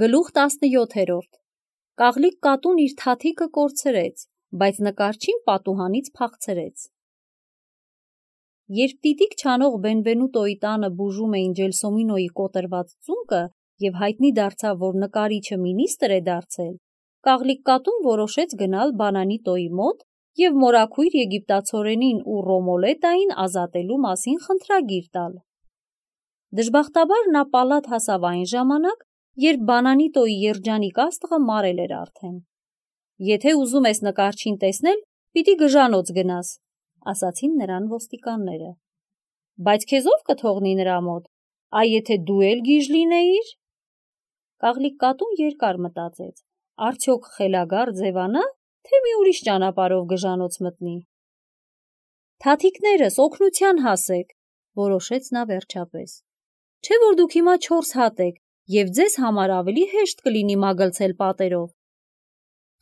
Գլուխ 17. Կաղլիկ կատուն իր թաթիկը կորցրեց, բայց նկարչին պատուհանից փախցրեց։ Երբ տիտիկ չանող Բենվենուտոյի տանը բուժում էին Ջելսոմինոյի կոտրված ծունկը և հայտնի դարձավ, որ նկարիչը մինիստր է դարձել, կաղլիկ կատուն որոշեց գնալ Բանանիտոյի մոտ և մորաքույր եգիպտացորենին ու Ռոմոլետային ազատելու մասին խնդրագիր տալ։ Դժբախտաբար նա պալատ հասավ այն ժամանակ, երբ Բանանիտոյի երջանիկ աստղը մարել էր արդեն։ «Եթե ուզում ես նկարչին տեսնել, պիտի գժանոց գնաս», ասացին նրան ոստիկանները։ «Բայց քեզ ով կթողնի նրա մոտ, այ եթե դու էլ գիժ լինեիր»։ Կաղլիկ կատուն երկար մտածեց, արդյոք խելագար ձևանա, թե մի ուրիշ ճանապարհով գժանոց մտնի։ «Թաթիկներս, օգնության հասեք», որոշեց նա վերջապես։ «Չէ՞ որ դուք հիմա 4 հատ եք, և ձեզ համար ավելի հեշտ կլինի մագլցել պատերով»։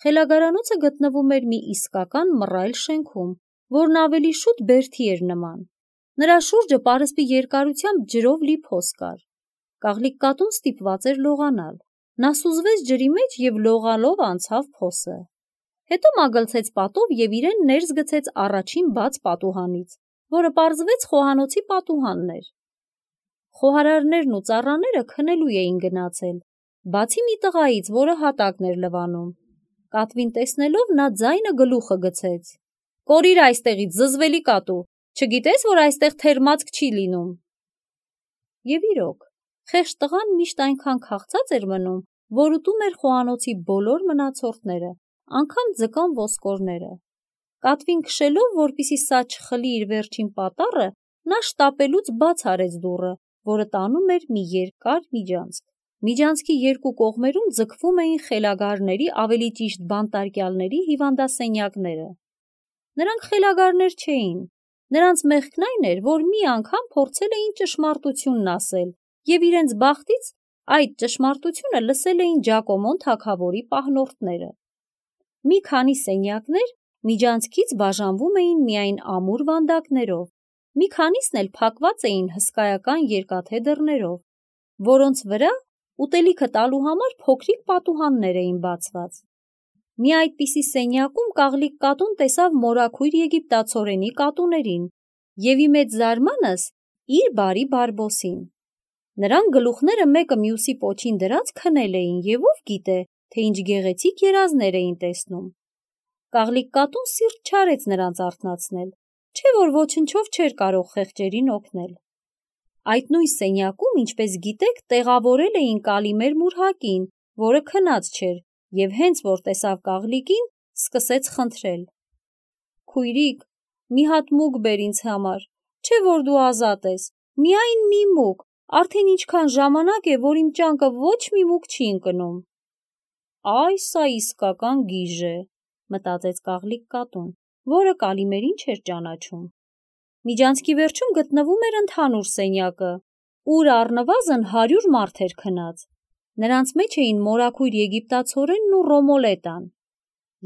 Խելագարանոցը գտնվում էր մի իսկական մռայլ շենքում, որն ավելի շուտ բերդի էր նման։ Նրա շուրջը պարսպի երկարությամբ ջրով լի փոս կար։ Կաղլիկ կատուն ստիպված էր լողանալ։ Նա սուզվեց ջրի մեջ և լողալով անցավ փոսը։ Հետո մագլցեց պատով և իրեն ներս գցեց առաջին բաց պատուհանից, որը պարզվեց խոհանոցի պատուհանն էր։ Խոհարարներն ու ծառաները քնելու էին գնացել, բացի մի տղայից, որը հատակն էր լվանում։ Կատվին տեսնելով նա ձայնը գլուխը գցեց. «Կորիր այստեղից, զզվելի կատու, չգիտես, որ այստեղ թերմացք չի լինում»։ Եվ իրոք, խեղճ տղան միշտ այնքան քաղցած էր մնում, որ ուտում էր խոհանոցի բոլոր մնացորդները, անգամ ձկան ոսկորները։ Կատվին քշելով, որպեսզի սա չխլի իր վերջին պատառը, նա շտապելուց բաց արեց դուռը, որը տանում էր մի երկար միջանցք։ Միջանցքի երկու կողմերում ձգվում էին խելագարների, ավելի ճիշտ բանտարկյալների հիվանդասենյակները։ Նրանք խելագարներ չէին։ Նրանց մեղքն այն էր, որ մի անգամ փորձել էին ճշմարտությունն ասել, և իրենց բախտից այդ ճշմարտությունը լսել էին Ջակոմոն թագավորի պահնորդները։ Մի քանի սենյակներ միջանցքից բաժանվում էին միայն ամուր վանդակներով, մի քանիսն էլ փակված էին հսկայական երկաթե դռներով, որոնց վրա ուտելիքը տալու համար փոքրիկ պատուհաններ էին բացված։ Մի այդպիսի սենյակում կաղլիկ կատուն տեսավ մորաքույր եգիպտացորենի կատուներին և ի մեծ զարմանս իր բարի Բարբոսին։ Նրանք գլուխները մեկը մյուսի պոչին դրած քնել էին և ով գիտե, թե ինչ գեղեցիկ երազներ էին տեսնում։ Կաղլիկ կատուն սիրտ չարեց նրանց արթնացնել, չէ՞ որ ոչնչով չէր կարող խեղճերին օգնել։ Այդ նույն սենյակում, ինչպես գիտեք, տեղավորել էին Կալիմեր Մուրհակին, որը քնած չէր, և հենց որ տեսավ կաղլիկին, սկսեց խնդրել. «Քույրիկ, մի հատ մուկ բեր ինձ համար, չէ՞ որ դու ազատ ես, միայն մի մուկ, արդեն ինչքան ժամանակ է, որ իմ ճանկը ոչ մի մուկ չի ընկնում»։ «Այ սա իսկական գիժ է», մտածեց կաղլիկ կատուն, որը Կալիմերին չէր ճանաչում։ Միջանցքի վերջում գտնվում էր ընդհանուր սենյակը, ուր առնվազն 100 մարդ էր քնած։ Նրանց մեջ էին մորաքույր եգիպտացորենն ու Ռոմոլետան։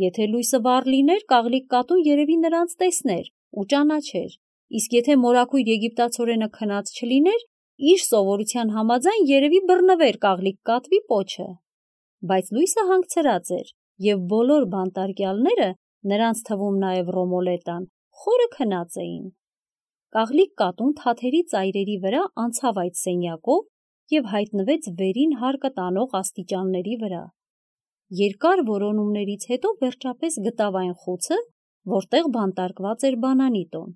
Եթե լույսը վառ լիներ, կաղլիկ կատուն երևի նրանց տեսներ ու ճանաչեր, իսկ եթե մորաքույր եգիպտացորենը քնած չլիներ, իր սովորության համաձայն երևի բռնվեր կաղլիկ կատվի պոչը։ Բայց լույսը հանգցրած էր, և բոլոր բանտարկյալները, նրանց թվում նաև Ռոմոլետան, խորը քնած էին։ Կաղլիկ կատուն թաթերի ծայրերի վրա անցավ այդ սենյակով և հայտնվեց վերին հարկը տանող աստիճանների վրա։ Երկար որոնումներից հետո վերջապես գտավ այն խուցը, որտեղ բանտարկված էր Բանանիտոն։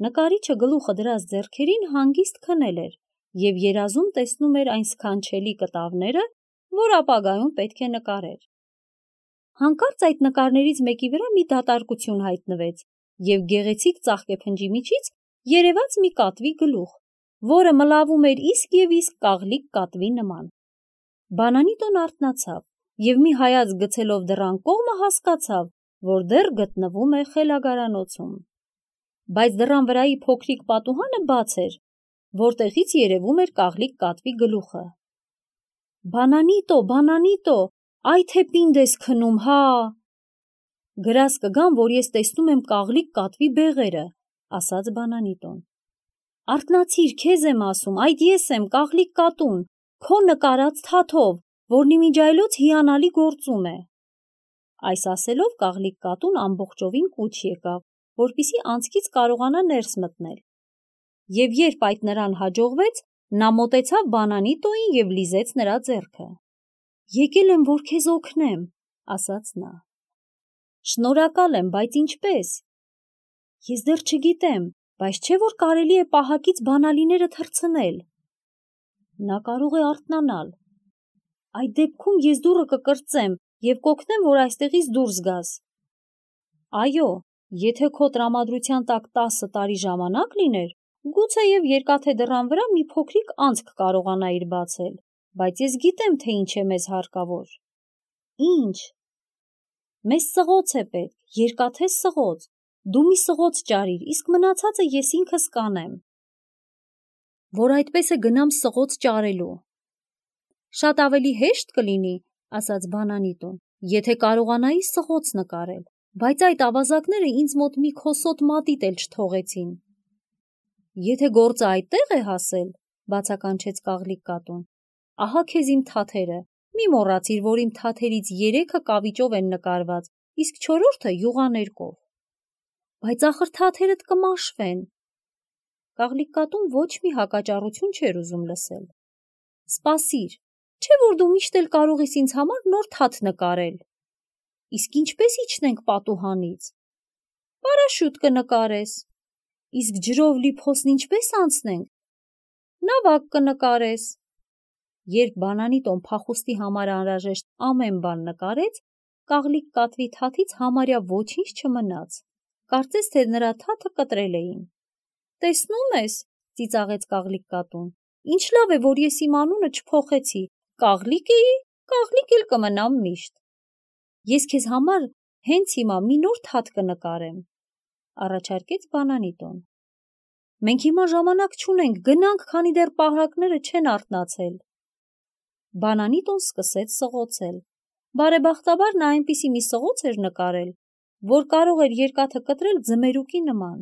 Նկարիչը գլուխը դրած ձեռքերին հանգիստ քնել էր և երազում տեսնում էր այն սքանչելի կտավները, որ ապագայում պետք է նկարեր։ Հանկարծ այդ նկարներից մեկի վրա մի դատարկություն հայտնվեց, և գեղեցիկ ծաղկեփնջի միջից երևաց մի կատվի գլուխ, որը մլավում էր իսկ և իսկ կաղլիկ կատվի նման։ Բանանիտոն արթնացավ և մի հայացք գցելով դռան կողմը հասկացավ, որ դեռ գտնվում է խելագարանոցում։ Բայց դռան վրայի փոքրիկ պատուհանը բաց էր, որտեղից երևում էր կաղլիկ կատվի գլուխը։ «Բանանիտո, Բանանիտո, այ թե պինդ ես քնում, հա»։ «Գրազ կգամ, որ ես տեսնում եմ կաղլիկ կատվի բեղերը», ասաց Բանանիտոն։ «Արթնացիր, քեզ եմ ասում, այդ ես եմ, կաղլիկ կատուն, քո նկարած թաթով, որն իմիջայլոց հիանալի գործում է։ Այս ասելով կաղլիկ կատուն ամբողջովին կուչ եկավ, որպիսի անցքից կարողանա ներս մտնել։ Եվ երբ այդ նրան հաջողվեց, նա մոտեցավ Բանանիտոյին և լիզեց նրա ձեռքը։ «Եկել եմ, որ քեզ օգնեմ», ասաց նա։ «Շնորհակալ եմ, բայց ինչպես»։ «Ես դեռ չգիտեմ, բայց չէ՞ որ կարելի է պահակից բանալիները թռցնել»։ «Նա կարող է արթնանալ»։ «Այդ դեպքում ես դուռը կկրծեմ և կօգնեմ, որ այստեղից դուրս գաս»։ «Այո, եթե քո տրամադրության տակ 10 տարի ժամանակ լիներ, գուցեև երկաթե դռան վրա մի փոքրիկ անցք կարողանայիր բացել, բայց ես գիտեմ, թե ինչ է մեզ հարկավոր»։ «Ինչ»։ «Մեզ սղոց է պետք, երկաթե սղոց։ Դու մի սղոց ճարիր, իսկ մնացածը ես ինքս կանեմ»։ «Որ այդպես է գնամ սղոց ճարելու»։ «Շատ ավելի հեշտ կլինի, ասաց Բանանիտոն, եթե կարողանայի սղոց նկարել, բայց այդ ավազակները ինձ մոտ մի քոսոտ մատիտ էլ չթողեցին»։ «Եթե գործը այդտեղ է հասել, բացականչեց կաղլիկ կատուն, ահա քեզ իմ թաթերը, մի մոռացիր, որ իմ թաթերից 3-ը կավիճով են նկարված, իսկ 4-րդը յուղաներկով»։ «Բայց ախր թաթերդ կմաշվեն»։ Կաղլիկ կատուն ոչ մի հակաճառություն չէր ուզում լսել։ «Սպասիր, չէ՞ որ դու միշտ էլ կարող ես ինձ համար նոր թաթ նկարել»։ «Իսկ ինչպես իջնենք պատուհանից»։ «Պարաշյուտ կնկարես»։ «Իսկ ջրով լի փոսն ինչպես անցնենք»։ «Նավակ կնկարես»։ Երբ Բանանիտոն փախուստի համար անհրաժեշտ ամեն բան նկարեց, կաղլիկ կատվի թաթից համարյա ոչինչ չմնաց, կարծես թե նրա թաթը կտրել էին։ «Տեսնում ես», ծիծաղեց կաղլիկ կատուն, «ինչ լավ է, որ ես իմ անունը չփոխեցի, կաղլիկ էի, կաղլիկ էլ կմնամ միշտ»։ «Ես քեզ համար հենց հիմա մի նոր թաթ կնկարեմ», առաջարկեց Բանանիտոն։ «Մենք հիմա ժամանակ չունենք, գնանք, քանի դեռ պահակները չեն արթնացել»։ Բանանիտոն սկսեց սղոցել։ Բարեբախտաբար նա այնպիսի մի սղոց էր նկարել, որ կարող էր երկաթը կտրել ձմերուկի նման։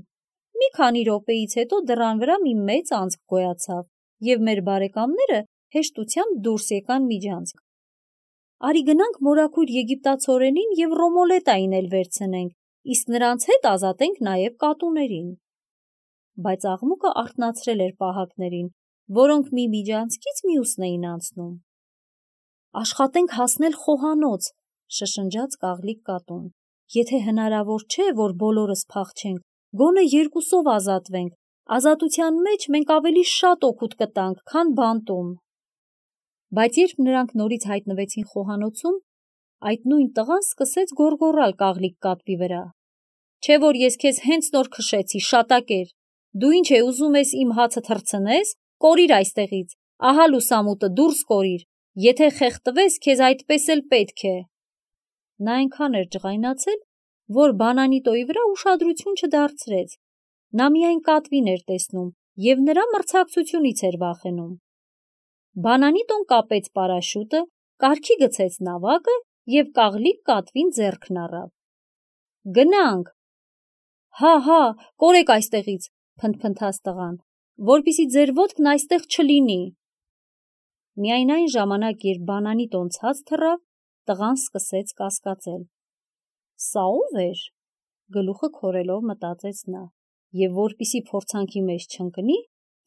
Մի քանի րոպեից հետո դռան վրա մի մեծ անցք գոյացավ, և մեր բարեկամները հեշտությամբ դուրս եկան միջանցք։ «Արի գնանք մորաքույր եգիպտացորենին և Ռոմոլետային էլ վերցնենք, իսկ նրանց հետ ազատենք նաև կատուներին»։ Բայց աղմուկը արթնացրել էր պահակներին, որոնք մի միջանցքից մյուսն էին անցնում։ «Աշխատենք հասնել խոհանոց», շշնջաց կաղլիկ կատուն։ «Եթե հնարավոր չէ, որ բոլորս փախչենք, գոնե 2-ով ազատվենք, ազատության մեջ մենք ավելի շատ օգուտ կտանք, քան բանտում»։ Բայց երբ նրանք նորից հայտնվեցին խոհանոցում, այդ նույն տղան սկսեց գոռգոռալ կաղլիկ կատվի վրա։ «Չէ՞ որ ես քեզ հենց նոր քշեցի, շատակեր։ Դու ինչ է ուզում ես իմ հացը թռցնես, կորիր այստեղից, ահա լուսամուտը, դուրս կորիր, եթե խեղդվես, քեզ այդպես էլ պետք է»։ Նա այնքան էր ջղայնացել, որ Բանանիտոյի վրա ուշադրություն չդարձրեց։ Նա միայն կատվին էր տեսնում և նրա մրցակցությունից էր վախենում։ Բանանիտոն կապեց պարաշյուտը, կարգի գցեց նավակը և կաղլիկ կատվին ձեռքն առավ։ «Գնանք»։ «Հա, կորեք այստեղից», փնթփնթաց տղան, «որպեսզի ձեր ոտքն այստեղ չլինի»։ Միայն այն ժամանակ, երբ Բանանիտոն ցած թռավ, տղան սկսեց կասկածել։ «Սա ո՞վ էր»։ Գլուխը քորելով մտածեց նա, և որպեսզի փորձանքի մեջ չընկնի,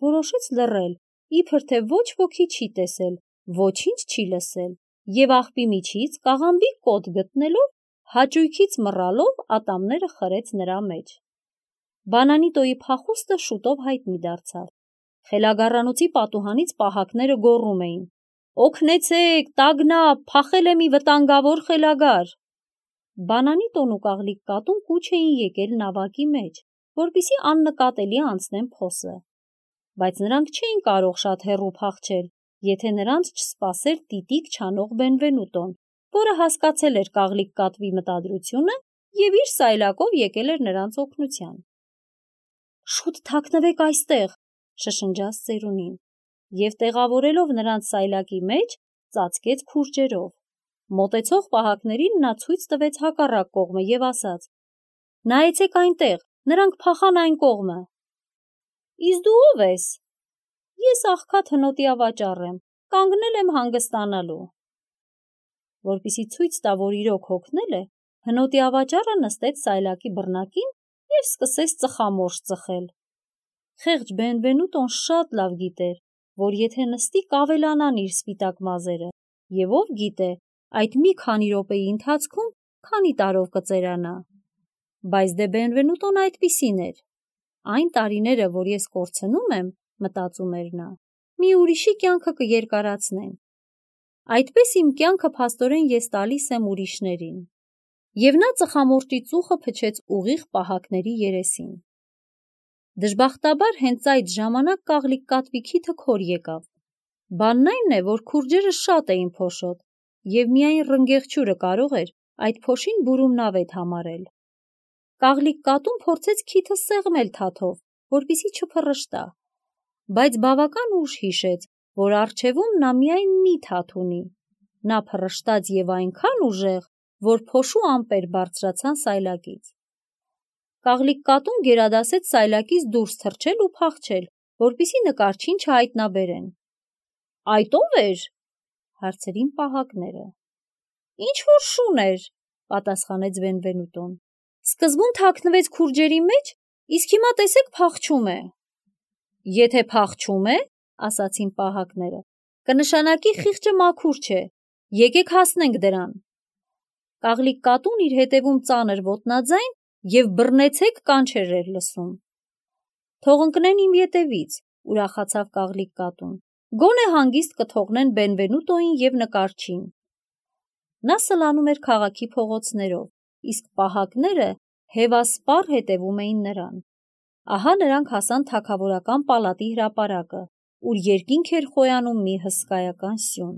որոշեց լռել, իբր թե ոչ ոքի չի տեսել, ոչինչ չի լսել, և աղբի միջից կաղամբի կոթ գտնելով, հաճույքից մռալով ատամները խրեց նրա մեջ։ Բանանիտոյի փախուստը շուտով հայտնի դարձավ։ Խելագարանոցի պատուհանից պահակները գոռում էին. «Օգնեցեք, տագնապ, փախել է մի վտանգավոր խելագար»։ Բանանիտոն ու կաղլիկ կատուն կուչ էին եկել նավակի մեջ, որպեսզի աննկատելի անցնեն փոսը։ Բայց նրանք չէին կարող շատ հեռու փախչել, եթե նրանց չսպասեր տիտիկ չանող Բենվենուտոն, որը հասկացել էր կաղլիկ կատվի մտադրությունը և իր սայլակով եկել էր նրանց օգնության։ «Շուտ թաքնվեք այստեղ», շշնջաց ծերունին, և տեղավորելով նրանց սայլակի մեջ, ծածկեց քուրջերով։ Մոտեցող պահակներին նա ցույց տվեց հակառակ կողմը և ասաց. «Նայեցեք այնտեղ, նրանք փախան այն կողմը»։ «Իսկ դու ո՞վ ես»։ «Ես աղքատ հնոտի ավաճառ եմ, կանգնել եմ հանգստանալու»։ որպեսզի ցույց տա, որ իրոք հոգնել է, հնոտի ավաճառը նստեց սայլակի բռնակին և սկսեց ծխամորճ ծխել։ Խեղճ Բենվենուտոն շատ լավ գիտեր, որ եթե նստի կավելանան իր սպիտակ մազերը, և ով գիտե, այդ մի քանի րոպեի ընթացքում քանի տարով կծերանա։ Բայց դե Բենվենուտոն այդպիսին էր։ Այն տարիները, որ ես կորցնում եմ, մտածում էր նա, մի ուրիշի կյանքը կերկարացնեն։ Այդպես իմ կյանքը փաստորեն ես տալիս եմ ուրիշներին։ Եվ նա ծխամորճի ծուխը փչեց ուղիղ պահակների երեսին։ Դժբախտաբար հենց այդ ժամանակ կաղլիկ կատվի քիթը քոր եկավ։ Բանն այն է, որ քուրջերը շատ էին փոշոտ, և միայն ռնգեղջյուրը կարող էր այդ փոշին բուրումնավետ համարել։ Կաղլիկ կատուն փորձեց քիթը սեղմել թաթով, որպեսզի չփռշտա, բայց բավական ուշ հիշեց, որ առջևում նա միայն մի թաթ ունի։ Նա փռշտաց և այնքան ուժեղ, որ փոշու ամպեր բարձրացան սայլակից։ Կաղլիկ կատուն գերադասեց սայլակից դուրս թռչել ու փախչել, որպեսզի նկարչին չհայտնաբերեն։ Այդ ո՞վ էր, հարցրին պահակները։ Ինչ-որ շուն էր, պատասխանեց Բենվենուտոն։ Սկզբում թաքնվեց քուրջերի մեջ, իսկ հիմա տեսեք փախչում է։ Եթե փախչում է, ասացին պահակները, կնշանակի խիղճը մաքուր չէ, եկեք հասնենք դրան։ Կաղլիկ կատուն իր հետևում ծանր ոտնաձայն և բռնեցեք կանչեր էր լսում։ Թող ընկնեն իմ ետևից, ուրախացավ կաղլիկ կատուն, գոնե հանգիստ կթողնեն Բենվենուտոին և նկարչին։ Նա սլանում էր քաղաքի փողոցներով, իսկ պահակները հևասպառ հետևում էին նրան։ Ահա նրանք հասան թագավորական պալատի հրապարակը, ուր երկինք էր խոյանում մի հսկայական սյուն։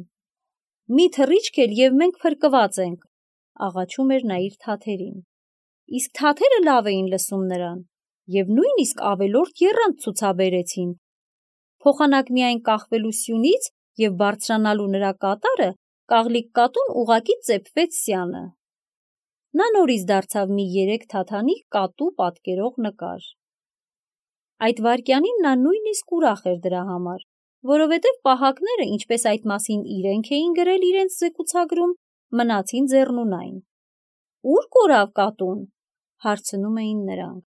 Մի թռիչք էլ և մենք փրկված ենք, աղաչում էր նա իր թաթերին։ Իսկ թաթերը լավ էին լսում նրան և նույնիսկ ավելորդ եռանդ ցուցաբերեցին։ Փոխանակ միայն կախվելու սյունից և բարձրանալու նրա կատարը, կաղլիկ կատուն ուղղակի ծեփվեց սյանը։ Նա նորից դարձավ մի 3 թաթանիք կատու պատկերող նկար։ Այդ վայրկյանին նա նույնիսկ ուրախ էր դրա համար, որովհետև պահակները, ինչպես այդ մասին իրենք էին գրել իրենց զեկուցագրում, մնացին ձեռնունայն։ Ո՞ւր կորավ կատուն, հարցնում էին նրանք։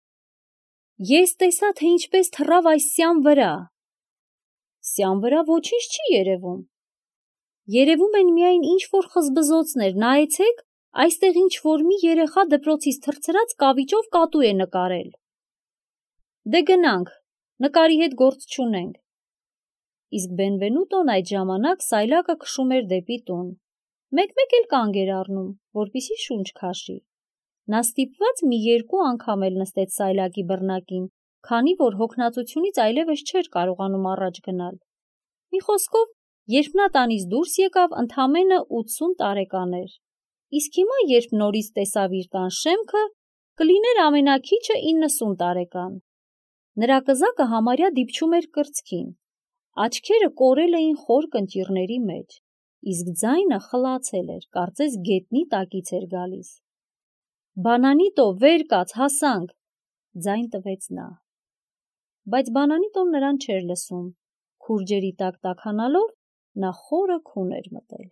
Ես տեսա, թե ինչպես թռավ այս սյան վրա։ Սյան վրա ոչինչ չի երևում։ Երևում են միայն ինչ-որ խզբզոցներ, նայեցեք, այստեղ ինչ-որ մի երեխա դպրոցից թռցրած կավիճով կատու է նկարել։ Դե գնանք, նկարի հետ գործ չունենք։ Իսկ Բենվենուտոն այդ ժամանակ սայլակը քշում էր դեպի տուն։ Մեկ-մեկ էլ կանգ էր առնում, որպեսզի շունչ քաշի։ Նա ստիպված մի 2 անգամ էլ նստեց սայլակի բռնակին, քանի որ հոգնածությունից այլևս չէր կարողանում առաջ գնալ։ Մի խոսքով, երբ նա տանից դուրս եկավ, ընդամենը 80 տարեկան էր, իսկ հիմա, երբ նորից տեսավ իր տան շեմքը, կլիներ ամենաքիչը 90 տարեկան։ Նրա կզակը համարյա դիպչում էր կրծքին, աչքերը կորել էին խոր կնճիռների մեջ, իսկ ձայնը խլացել էր, կարծես գետնի տակից էր գալիս։ Բանանիտո, վեր կաց, հասանք, ձայն տվեց նա։ Բայց Բանանիտոն նրան չէր լսում, քուրջերի տակ տաքանալով նա խորը քուն էր մտել։